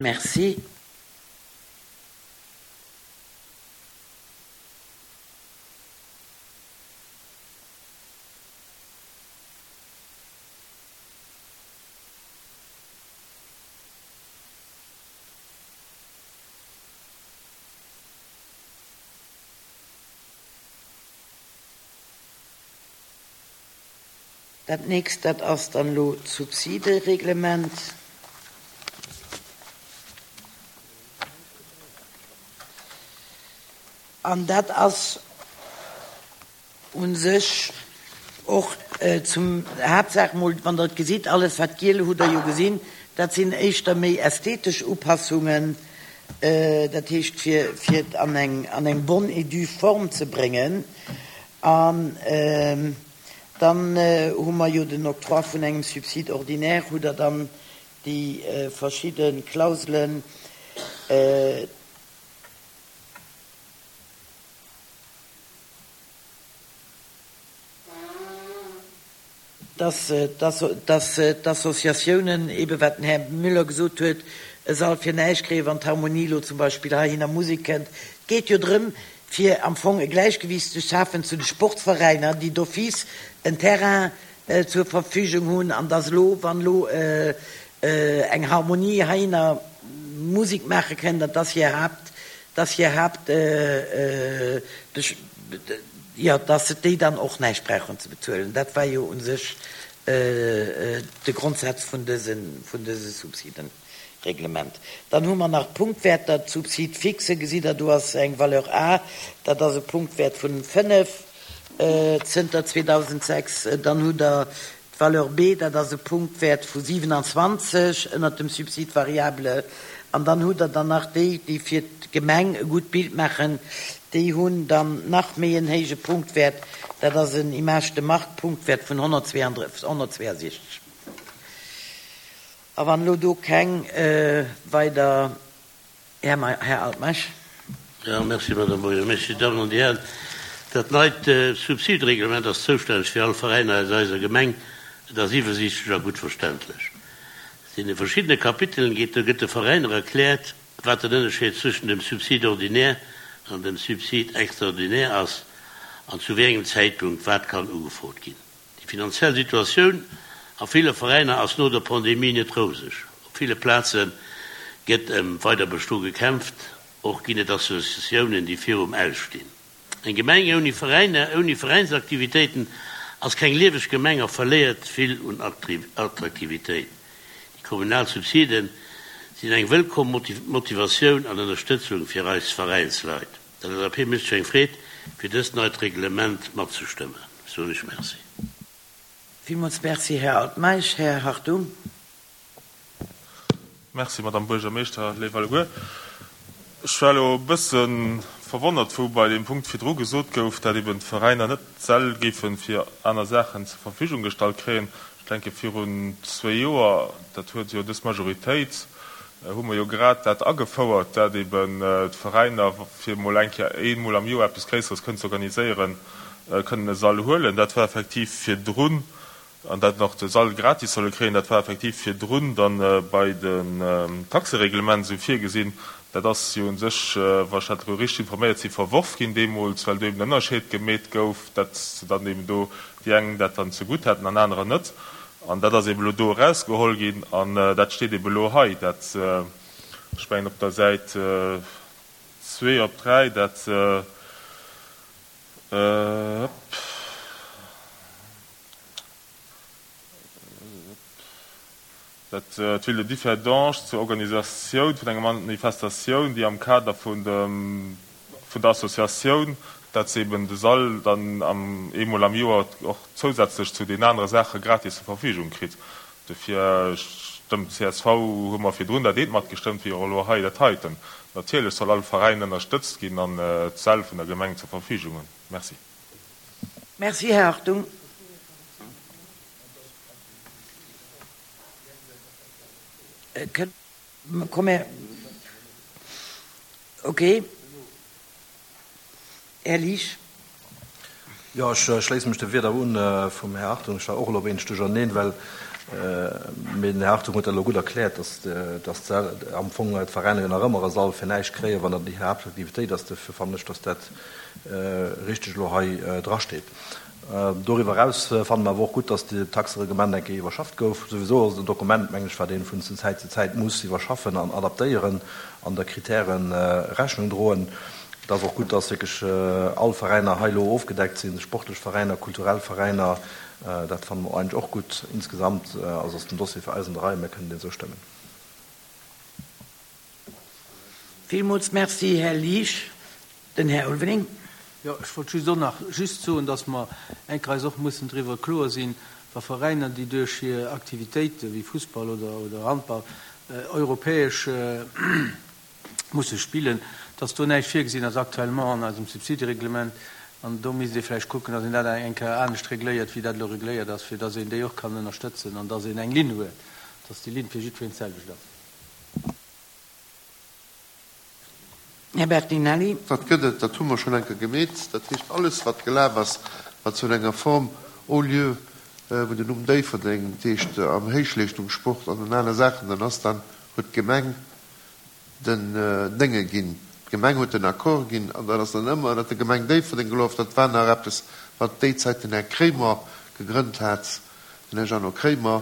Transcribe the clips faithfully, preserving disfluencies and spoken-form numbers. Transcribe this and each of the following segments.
Merci. Dat nächst, dat ass dann elo d'Subsidereglement. An dat ass u sech och zum Haaptsaach mol, wann Der et gesitt, alles wat giel hutt Der jo gesinn, dat sinn éischter méi ästhetesch Upassungen, dat heescht fir, fir et an eng, an eng bonne et due forme ze bréngen. An dann hu mer jo den Octroi vun engem Subside ordinaire, hutt Der dann déi verschidde Klauselen, dass, dass, dass d'Associatiounen, ebe wat den Här Müller gesot huet, e Sall fir näischt kréien, wann d'Harmonie elo zum Beispill heihinner Musek kënnt. Et geet jo drëm, fir am Fong e Gläichgewiicht ze schafen zu de Sportveräiner, déi d'office en Terrain zur Verfügung hunn, an dass elo, wann elo eng Harmonie heihinner Musek maache kënnt, dat ass hir Haapt, dass hir Haapt, jo, dass se déi dann och näischt brauchen ze bezuelen. Dat war jo u sech de Grondsaz vun dëse, vun dëse Subsidenreglement. Dann hu mer nach d'Punktwäerter, d'Subside fixe, gesitt Der, do ass eng Valeur A, dat ass e Punktwäert vun fënnef zënter zweedausendsechs. Dann hutt Der d'Valeur B, dat ass e Punktwäert vu siewenundzwanzeg ënnert dem Subside variable. An dann hutt Der dann nach déi, déi fir d'Gemeng e gutt Bild maachen, déi hunn dann nach méi en héije Punktwäert, dat ass en Image de marque Punktwäert vun honnertzweiundsechzeg. A wann elo do keng weider, Här, Här Altmeisch. Ja, merci, Madame Buergermeeschtesch. Dir Dammen an Dir Hären, dat neit Subsidereglement ass zoustänneg fir all Veräiner aus eiser Gemeng. Et ass iwwersiichtlech a gutt verständlech. An de verschiddene Kapitelen geet, do gëtt de Veräiner erkläert, wat den Ënnerscheed zwëschen dem Subside ordinaire an dem Subside extraordinaire ass an zu wéi engem Zäitpunkt wat kann ugefrot ginn. Déi finanziell Situatioun a ville Veräiner ass no der Pandemie net roseg. Op ville Plaze gëtt ëm Weiderbestoe gekämpft, och ginn et Associatiounen, déi virum Aus stinn. Eng Gemeng ouni Veräiner, ouni Veräinsaktivitéiten ass keng lieweg Gemeng a verléiert vill un Attraktivitéit. Déi kommunal Subside sinn eng wëllkomm Motivatioun an Ënnerstëtzung fir eis Veräinsleit. D' L S A P mécht sech eng Freed, fir dëst neit Reglement matzestëmmen. Soen ech Merci. Villmools Merci, Här Altmeisch. Här Hartung. Merci, Madame Buergermeeschter, léif alleguer. Ech war elo e bësse verwonnert, wou bei deem Punkt virdru gesot gouf, dat eben d'Veräiner net d'Säll géife fir aner Saachen zur Verfügung gestallt kréien. Ech denke virun zwee Joer, dat huet jo dës Majoritéit, hu mer jo grad dat agefouert, dat eben d'Veräiner fir emol eng Kéier eemol am Joer eppes Gréisseres kënnen ze organiséieren, kënnen e Sall huelen. Dat war effektiv virdrun, an dat nach de Sall gratis solle kréien, dat war effektiv virdrun dann bei den Taxereglement esou virgesinn. Dat ass jo u sech, wa ech dat elo richteg informéiert sinn, verworf ginn deemools, well do eben en Ënnerscheed gemeet gouf, dat dann eben do déi eng dat dann zegutt hätten an anerer net. An dat ass eben elo do erausgeholl ginn an dat steet eben elo hei, dat, ech mengen op der Säit zwee op dräi, dat, dat d'Ville de Differdange zur Organisatioun vun enger Manifestatioun, déi am Kader vun dem, vun der Associatioun, dat se eben de Sall dann am, eemol am Joer och zousätzlech zu den anere Saache gratis zur Verfügung kritt. Dofir stëmmt d'C S V, hu mer virdrun dat eent matgestëmmt, wéi och elo hei dat heiten. Natierlech soll all Veräin ënnerstëtzt ginn an d'Säll vun der Gemeng zur Verfügung hunn. Merci. Merci, Här Hartung. Komm, okay. Här Liesch. Jo, ech schléisse mech de Wierder un vum Här Hartung. Ech war och elo e wéineg duercherneen, well Mee den Här Hartung huet dat elo gutt erkläert, dass, dass d'Säll am Fong d'Veräiner jo nach ëmmer e Sall fir näischt kréien, wann dat hir Haaptaktivitéit ass. Dofir fannen ech, dass dat richteg elo hei drasteet. Doriwwer eraus fanne mer awer och gutt, dass d'Taxereglement eng Kéier iwwerschafft gouf. Souwisou ass et en Dokument, mengen ech, wat ee vun Zäit zu Zäit muss iwwerschaffen an adaptéieren an der Kritäre Rechnung droen. Et ass och gutt, dass wierklech all Veräiner hei elo ofgedeckt sinn, sportlech Veräiner, kulturell Veräiner. Dat fanne mer eigentlech och gutt. Insgesamt also ass den Dossier fir eis an der Rei. Mir kënnen deen esou stëmmen. Villmools Merci, Här Liesch. Den Här Ulveling. Jo, ech wollt just och nach just soen, dass mer eng Kéier eis och mussen driwwer kloer sinn, wa Veräiner, déi duerch hir Aktivitéite wéi Fussball oder, oder Handball europäesch musse spillen, dass do näischt virgesinn ass actuellement an eisem Subsidereglement. An do misst ee vläicht kucken, dass een dat eng Kéier anescht regléiert, wéi dat elo regléiert ass, fir dass een déi och kann ënnerstëtzen an dass een eng Linn huet, dass déi Linn fir jiddwereen d'selwecht ass. Här Bertinelli. Dat gëtt et, dat hu mer schonn eng Kéier gemeet. Dat heescht, alles, wat gelaf ass, wat zu enger Form haut lieu, wou den Numm Déifferdeng, dat heescht am Héichleeschtungssport an den aner Saachen dann ass, dann huet d'Gemeng den Dénge ginn. D'Gemeng huet den Accord ginn an dat ass dann ëmmer ënnert der Gemeng Déifferdeng gelaf. Dat war nach eppes, wat déi Zäit den Här Kremer gegrënnt hat, den Här Jeannot Kremer.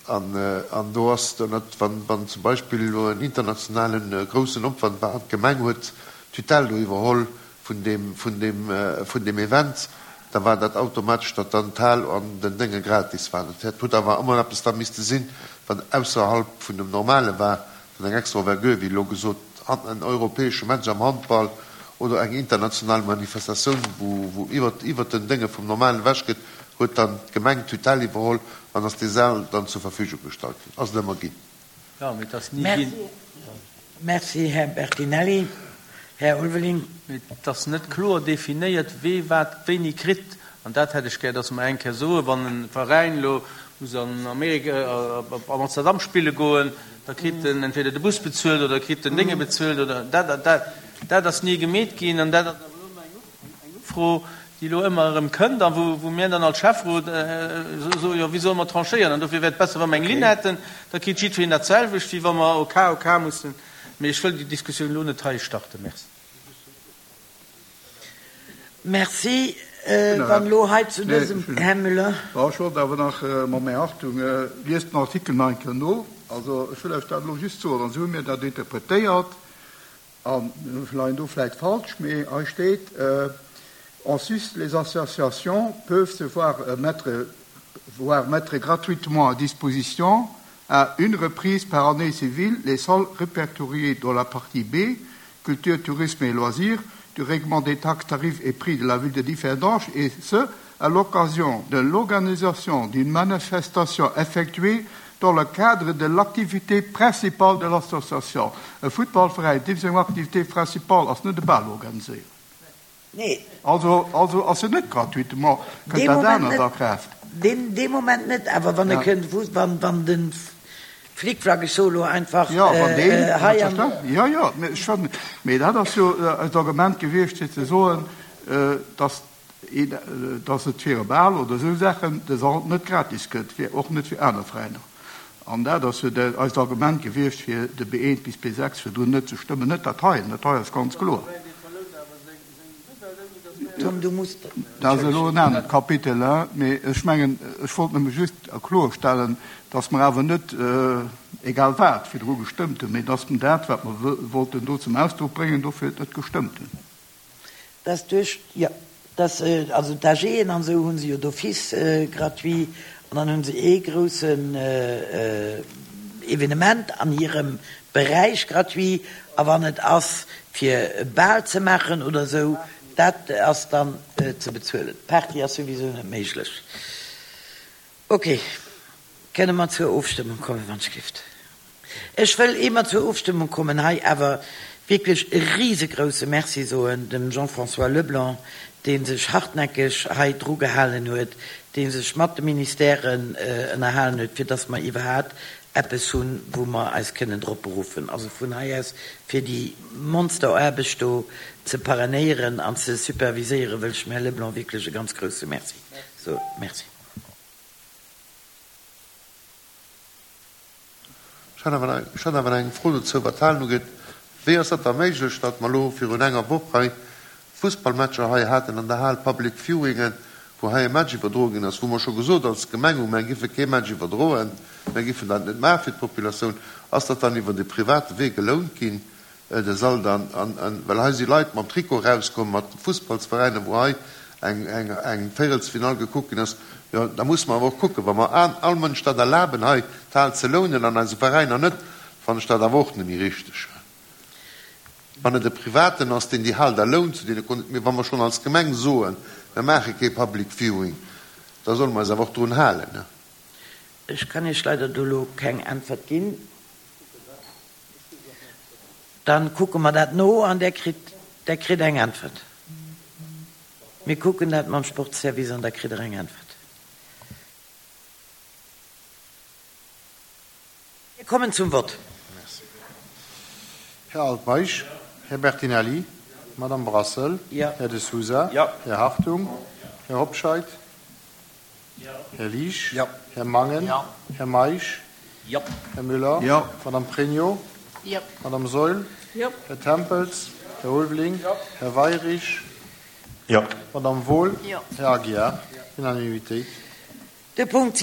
An, an do ass ënnert, wann, wann zum Beispill elo en internationale groussen Opwand war an d'Gemeng huet d'Tutelle do iwwerholl vun deem, vun deem, vun deem Event, da war dat automatesch, datt dann d'Hal an den Dénge gratis waren. Dat huet awer ëmmer eppes da misste sinn, wat ausserhalb vun dem Normale war, dann eng extra Envergure, wéi elo gesot, en europäesche Match am Handball oder eng international Manifestatioun, wou, wou iwwert, iwwert den Dénge vum Normalen ewech gëtt, huet dann d'Gemeng d'Tutelle iwwerholl an ass dee Sal dann zur Verfügung gestallt ginn. Ass et ëmmer ginn. Jo, mee et ass ni ginn. Merci, Här Bertinelli. Här Ulveling. Mee et ass net kloer definéiert, wee wat wéini kritt. An dat hätt ech gär, dass mer eng Kéier soen, wann e Veräin elo muss an Amerika, op Amsterdam spille goen, da kritt en entweder de Bus bezuelt oder kritt den Dénge bezuelt oder dat. Dat, dat ass ni gemeet ginn an dat ass awer elo ëmmer eng Ufro, déi elo ëmmer erëm kënnt a wou, wou mir dann als Schäfferot soen, jo, wéi solle mer tranchéieren? An dofir wär et besser, wa mer eng Linn hätten, da kritt jiddwereen dat selwecht, wéi wa mer au cas au cas mussen. Mee ech wëll déi Diskussioun elo net hei starten. Merci. Merci. Wann elo hei zu dësem, Här Müller. Bon, ech wollt awer nach, mam Här Hartung, liest den Artikel nach eng Kéier no. Also ech wëll lech dat elo just soen, an esou hu mir dat interpretéiert, a mir leien do vläicht falsch, mee hei steet, En sus, les associations peuvent se voir mettre, voir mettre gratuitement à disposition à une reprise par année civile les salles répertoriées dans la partie B, culture, tourisme et loisirs, du règlement des taxes, tarifs et prix de la ville de Differdange, et ce, à l'occasion de l'organisation d'une manifestation effectuée dans le cadre de l'activité principale de l'association. E Futtballveräin, deem seng Activité principale ass net e Bal organiséieren. Nee. Also, also ass se net gratuitement, kënnt Dee dat Moment anert net. a Kraaft. Deen, dee Moment net, awer wann e Ja. kënnt, wou, wann, wann de Flickflack, ech soe lo einfach, Ja, wann deen, hei an. selbstverständlech, jo, jo, mee ech fannen, mee dat ass jo eist Argument gewiescht, fir ze soen, dass een, dass et fir e Bal oder esou Saachen de Sall net gratis gëtt, fir, och net fir aner Veräiner. An dat ass jo eist Argument gewiescht, fir de B eent bis B sechs virdrun net ze stëmmen. Net dat heien, dat hei ass ganz kloer. Tom, du muss. Dat ass elo en anert Kapitel, hein, mee ech mengen, ech wollt nëmme just kloerstellen, dass mer awer net egal wat virdru gestëmmt hunn, mee dass mer dat, wat mer wollten do zum Ausdruck bréngen, dofir net gestëmmt hunn. Dass duerch, jo, dass, also d'AGen an esou hu se jo d'office gratuit an dann hu se ee groussen Evenement an hirem Beräich gratuit a wann et ass fir e Bal ze maachen oder esou, dat ass dann ze bezuelen. D'Party ass souwisou net méiglech. Ok, kënne mer zur Ofstëmmung kommen, wann ech gift. Ech wëll, ier mer zur Ofstëmmung kommen, hei awer wierklech e risegrousse Merci soen dem Jean-François Leblanc, dee sech hartnäckeg hei dru gehalen huet, dee sech mat de Ministèren ënnerhalen huet, fir dass mer iwwerhaapt eppes hunn, wou mer eis kënnen drop beruffen. Also vun hei aus, fir déi Monsteraarbecht do ze parrainéieren an ze superviséieren, wëll ech dem Här Leblanc wierklech e ganz grousse Merci soen. Merci. Ech hat awer nach, ech hat awer nach eng Fro dozou, wat d'Halen ugeet. Wéi ass dat da méiglech, datt mer elo virun enger Woch hei Fussballmatcher hei haten an der Hal, Public Viewingen, wou hei e Match iwwerdroe ginn ass, wou mer scho gesot als Gemeng hu, mer giffe kee Match iwwerdroen, mer giffen dat net maache fir d'Populatioun. Ass dat dann iwwer de private Wee gelount ginn, de Sall dann? An, well hei si Leit mam Trikot erauskomm, mat Fussballsveräiner, wou hei eng, eng, eng Véierelsfinall gekuckt ginn ass. Jo, da musse mer awer och kucken, wa mer all Mënsch dat erlaben, hei d'Hal ze lounen an eise Veräiner net, fannen ech dat awer och net méi richteg. Wann et e Privaten ass, deen déi Hal da lount zu deene Kon-, mee wa mer schonn als Gemeng soen, mer maache kee Public Viewing, da solle mer eis awer och drun halen. Ech kann Iech leider do elo keng Äntwert ginn. Da kucke mer dat no an Der kritt, Der kritt eng Äntwert. Mir kucken dat mam Sportsservice an da kritt Der eng Äntwert. Mir kommen zum Vott. Här Altmeisch, Här Bertinelli, Madame Brassel, Här De Sousa, Här Hartung, Här Hobscheit, Här Liesch, Här Mangen, Här Meisch, Här Müller, Madame Pregno, Madame Saeul, Här Tempels, Här Ulveling, Här Weyrich, Madame Wohl, Här Aguiar. Unanimitéit. De Punkt